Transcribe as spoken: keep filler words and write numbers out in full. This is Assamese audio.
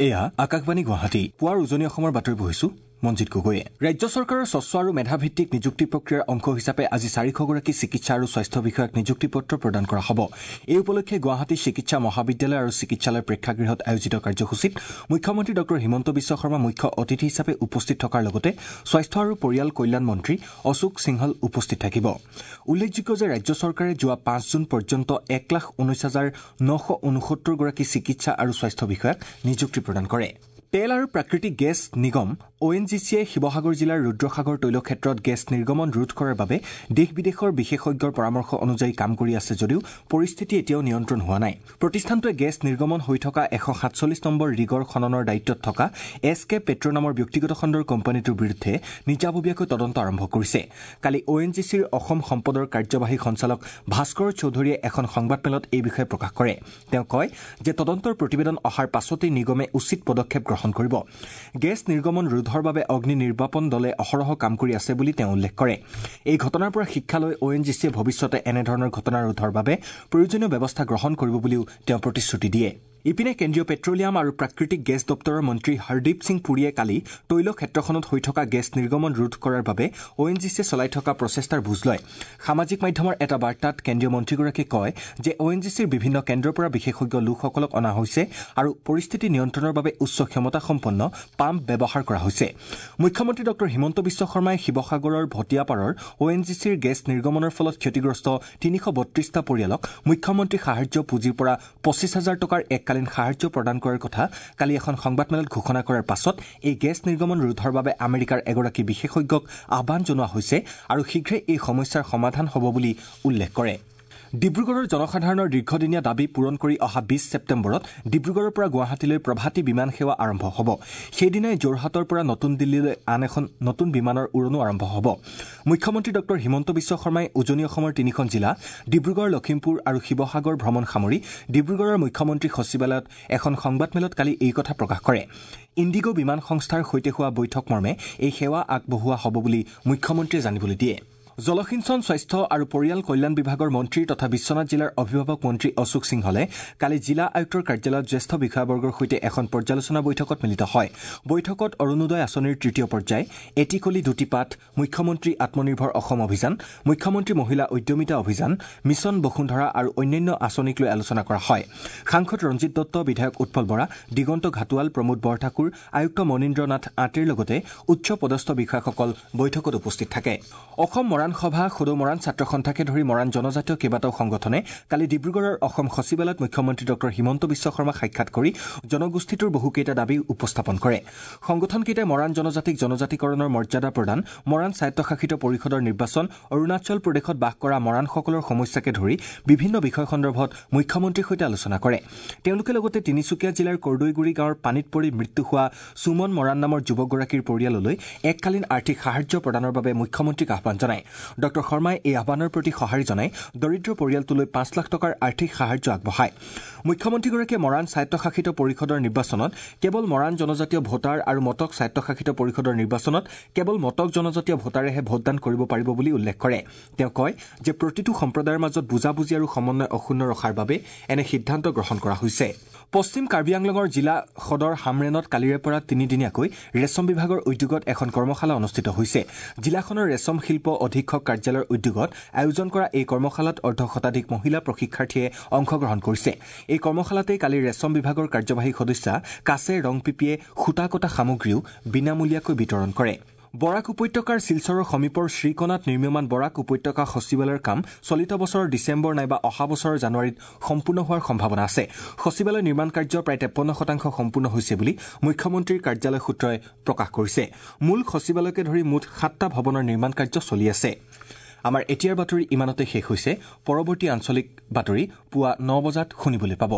এয়া আকাশবাণী গুৱাহাটী। পুৱাৰ উজনি অসমৰ বাতৰি পঢ়িছো মঞ্জিত গগৈয়ে। ৰাজ্য চৰকাৰৰ স্বচ্ছ আৰু মেধাভিত্তিক নিযুক্তি প্ৰক্ৰিয়াৰ অংশ হিচাপে আজি চাৰিশগৰাকী চিকিৎসা আৰু স্বাস্থ্য বিষয়াক নিযুক্তি পত্ৰ প্ৰদান কৰা হ'ব। এই উপলক্ষে গুৱাহাটী চিকিৎসা মহাবিদ্যালয় আৰু চিকিৎসালয় প্ৰেক্ষাগৃহত আয়োজিত কাৰ্যসূচীত মুখ্যমন্ত্ৰী ডঃ হিমন্ত বিশ্ব শৰ্মা মুখ্য অতিথি হিচাপে উপস্থিত থকাৰ লগতে স্বাস্থ্য আৰু পৰিয়াল কল্যাণ মন্ত্ৰী অশোক সিংহল উপস্থিত থাকিব। উল্লেখযোগ্য যে ৰাজ্য চৰকাৰে যোৱা পাঁচ জুন পৰ্যন্ত এক লাখ ঊনৈশ হাজাৰ নশ ঊনসত্তৰগৰাকী চিকিৎসা আৰু স্বাস্থ্য বিষয়াক নিযুক্তি প্ৰদান কৰে। তেল আৰু প্ৰাকৃতিক গেছ নিগম অ' এন জি চিয়ে শিৱসাগৰ জিলাৰ ৰুদ্ৰসাগৰ তৈলক্ষেত্ৰত গেছ নিৰ্গমন ৰোধ কৰাৰ বাবে দেশ বিদেশৰ বিশেষজ্ঞৰ পৰামৰ্শ অনুযায়ী কাম কৰি আছে যদিও পৰিস্থিতি এতিয়াও নিয়ন্ত্ৰণ হোৱা নাই। প্ৰতিষ্ঠানটোৱে গেছ নিৰ্গমন হৈ থকা এশ সাতচল্লিছ নম্বৰ ৰিগৰ খননৰ দায়িত্বত থকা এছ কে পেট্ৰ নামৰ ব্যক্তিগত খণ্ডৰ কোম্পানীটোৰ বিৰুদ্ধে নিজাববীয়াকৈ তদন্ত আৰম্ভ কৰিছে। কালি অ' এন জি চিৰ অসম সম্পদৰ কাৰ্যবাহী সঞ্চালক ভাস্কৰ চৌধুৰীয়ে এখন সংবাদমেলত এই বিষয়ে প্ৰকাশ কৰে। তেওঁ কয় যে তদন্তৰ প্ৰতিবেদন অহাৰ পাছতেই নিগমে উচিত পদক্ষেপ গ্ৰহণ কৰিব। গেছ নিৰ্গমন ৰোধৰ বাবে অগ্নি নিৰ্বাপন দলে অহৰহ কাম কৰি আছে বুলি তেওঁ উল্লেখ কৰে। এই ঘটনাৰ পৰা শিক্ষা লৈ অ' এন জি চিয়ে ভৱিষ্যতে এনেধৰণৰ ঘটনা ৰোধৰ বাবে প্ৰয়োজনীয় ব্যৱস্থা গ্ৰহণ কৰিব বুলিও তেওঁ প্ৰতিশ্ৰুতি দিয়ে। ইপিনে কেন্দ্ৰীয় পেট্ৰলিয়াম আৰু প্ৰাকৃতিক গেছ দপ্তৰৰ মন্ত্ৰী হৰদীপ সিং পুৰীয়ে কালি তৈল ক্ষেত্ৰখনত হৈ থকা গেছ নিৰ্গমন ৰোধ কৰাৰ বাবে অ' এন জি চিয়ে চলাই থকা প্ৰচেষ্টাৰ বুজ লয়। সামাজিক মাধ্যমৰ এটা বাৰ্তাত কেন্দ্ৰীয় মন্ত্ৰীগৰাকীয়ে কয় যে অ' এন জি চিৰ বিভিন্ন কেন্দ্ৰৰ পৰা বিশেষজ্ঞ লোকসকলক অনা হৈছে আৰু পৰিস্থিতি নিয়ন্ত্ৰণৰ বাবে উচ্চ ক্ষমতাসম্পন্ন পাম্প ব্যৱহাৰ কৰা হৈছে। মুখ্যমন্ত্ৰী ডঃ হিমন্ত বিশ্ব শৰ্মাই শিৱসাগৰৰ ভটিয়াপাৰৰ অ' এন জি চিৰ গেছ নিৰ্গমনৰ ফলত ক্ষতিগ্ৰস্ত তিনিশ বত্ৰিশটা পৰিয়ালক মুখ্যমন্ত্ৰী সাহায্য পুঁজিৰ পৰা পঁচিছ হাজাৰ টকাৰ এক সাহায্য প্ৰদান কৰাৰ কথা কালি এখন সংবাদমেলত ঘোষণা কৰাৰ পাছত এই গেছ নিৰ্গমন ৰোধৰ বাবে আমেৰিকাৰ এগৰাকী বিশেষজ্ঞক আহ্বান জনোৱা হৈছে আৰু শীঘ্ৰে এই সমস্যাৰ সমাধান হ'ব বুলি উল্লেখ কৰে। ডিব্ৰুগড়ৰ জনসাধাৰণৰ দীৰ্ঘদিনীয়া দাবী পূৰণ কৰি অহা বিশ ছেপ্টেম্বৰত ডিব্ৰুগড়ৰ পৰা গুৱাহাটীলৈ প্ৰভাতী বিমান সেৱা আৰম্ভ হ'ব। সেইদিনাই যোৰহাটৰ পৰা নতুন দিল্লীলৈ আন এখন নতুন বিমানৰ উৰণো আৰম্ভ হ'ব। মুখ্যমন্ত্ৰী ডঃ হিমন্ত বিশ্ব শৰ্মাই উজনি অসমৰ তিনিখন জিলা ডিব্ৰুগড়, লখিমপুৰ আৰু শিৱসাগৰ ভ্ৰমণ সামৰি ডিব্ৰুগড়ৰ মুখ্যমন্ত্ৰী সচিবালয়ত এখন সংবাদমেলত কালি এই কথা প্ৰকাশ কৰে। ইণ্ডিগ' বিমান সংস্থাৰ সৈতে হোৱা বৈঠক মৰ্মে এই সেৱা আগবঢ়োৱা হ'ব বুলি মুখ্যমন্ত্ৰীয়ে জানিবলৈ দিয়ে। জলসিঞ্চন, স্বাস্থ্য আৰু পৰিয়াল কল্যাণ বিভাগৰ মন্ত্ৰী তথা বিশ্বনাথ জিলাৰ অভিভাৱক মন্ত্ৰী অশোক সিংহলে কালি জিলা আয়ুক্তৰ কাৰ্যালয়ত জ্যেষ্ঠ বিষয়াবৰ্গৰ সৈতে এখন পৰ্যালোচনা বৈঠকত মিলিত হয়। বৈঠকত অৰুণোদয় আঁচনিৰ তৃতীয় পৰ্যায়, এটি কলি দুটি পাত, মুখ্যমন্ত্ৰী আত্মনিৰ্ভৰ অসম অভিযান, মুখ্যমন্ত্ৰী মহিলা উদ্যমিতা অভিযান, মিছন বসুন্ধৰা আৰু অন্যান্য আঁচনিক লৈ আলোচনা কৰা হয়। সাংসদ ৰঞ্জিত দত্ত, বিধায়ক উৎপল বৰা, দিগন্ত ঘাটোৱাল, প্ৰমোদ বৰঠাকুৰ, আয়ুক্ত মনীন্দ্ৰ নাথ আঁতিৰ লগতে উচ্চ পদস্থ বিষয়াসকল বৈঠকত উপস্থিত থাকে। অসম মৰাণ সভা, সদৌ মৰাণ ছাত্ৰ সন্থাকে ধৰি মৰাণ জনজাতীয় কেইবাটাও সংগঠনে কালি ডিব্ৰুগড়ৰ অসম সচিবালয়ত মুখ্যমন্ত্ৰী ডঃ হিমন্ত বিশ্ব শৰ্মাক সাক্ষাৎ কৰি জনগোষ্ঠীটোৰ বহুকেইটা দাবী উপস্থাপন কৰে। সংগঠনকেইটাই মৰাণ জনজাতিক জনজাতিকৰণৰ মৰ্যাদা প্ৰদান, মৰাণ স্বায়ত্তশাসিত পৰিষদৰ নিৰ্বাচন, অৰুণাচল প্ৰদেশত বাস কৰা মৰাণসকলৰ সমস্যাকে ধৰি বিভিন্ন বিষয় সন্দৰ্ভত মুখ্যমন্ত্ৰীৰ সৈতে আলোচনা কৰে। তেওঁলোকে লগতে তিনিচুকীয়া জিলাৰ কৰ্দৈগুৰি গাঁৱৰ পানীত পৰি মৃত্যু হোৱা সুমন মৰাণ নামৰ যুৱকগৰাকীৰ পৰিয়াললৈ এককালীন আৰ্থিক সাহায্য প্ৰদানৰ বাবে মুখ্যমন্ত্ৰীক আহ্বান জনায়। ডঃ শৰ্মাই এই আহ্বানৰ প্ৰতি সঁহাৰি জনাই দৰিদ্ৰ পৰিয়ালটোলৈ পাঁচ লাখ টকাৰ আৰ্থিক সাহায্য আগবঢ়ায়। মুখ্যমন্ত্ৰীগৰাকীয়ে মৰাণ স্বায়ত্তশাসিত পৰিষদৰ নিৰ্বাচনত কেৱল মৰাণ জনজাতীয় ভোটাৰ আৰু মটক স্বায়ত্তশাসিত পৰিষদৰ নিৰ্বাচনত কেৱল মটক জনজাতীয় ভোটাৰেহে ভোটদান কৰিব পাৰিব বুলি উল্লেখ কৰে। তেওঁ কয় যে প্ৰতিটো সম্প্ৰদায়ৰ মাজত বুজাবুজি আৰু সমন্বয় অক্ষুণ্ণ ৰখাৰ বাবে এনে সিদ্ধান্ত গ্ৰহণ কৰা হৈছে। পশ্চিম কাৰ্বি আংলঙৰ জিলা সদৰ হামৰেণত কালিৰে পৰা তিনিদিনীয়াকৈ ৰেচম বিভাগৰ উদ্যোগত এখন কৰ্মশালা অনুষ্ঠিত হৈছে। জিলাখনৰ ৰেচম শিল্প অধীক্ষক কাৰ্যালয়ৰ উদ্যোগত আয়োজন কৰা এই কৰ্মশালাত অৰ্ধ শতাধিক মহিলা প্ৰশিক্ষাৰ্থীয়ে অংশগ্ৰহণ কৰিছে। এই কৰ্মশালাতেই কালি ৰেচম বিভাগৰ কাৰ্যবাহী সদস্যা কাছে ৰংপিপিয়ে সূতা কটা সামগ্ৰীও বিনামূলীয়াকৈ বিতৰণ কৰে। বৰাক উপত্যকাৰ শিলচৰৰ সমীপৰ শ্ৰীকণাত নিৰ্মীয়মান বৰাক উপত্যকা সচিবালয়ৰ কাম চলিত বছৰৰ ডিচেম্বৰ নাইবা অহা বছৰৰ জানুৱাৰীত সম্পূৰ্ণ হোৱাৰ সম্ভাৱনা আছে। সচিবালয় নিৰ্মাণ কাৰ্য প্ৰায় তেপন্ন শতাংশ সম্পূৰ্ণ হৈছে বুলি মুখ্যমন্ত্ৰীৰ কাৰ্যালয় সূত্ৰই প্ৰকাশ কৰিছে। মূল সচিবালয়কে ধৰি মুঠ সাতটা ভৱনৰ নিৰ্মাণ কাৰ্য চলি আছে। আমাৰ এতিয়াৰ বাতৰি ইমানতে শেষ হৈছে। পৰৱৰ্তী আঞ্চলিক বাতৰি পুৱা ন বজাত শুনিবলৈ পাব।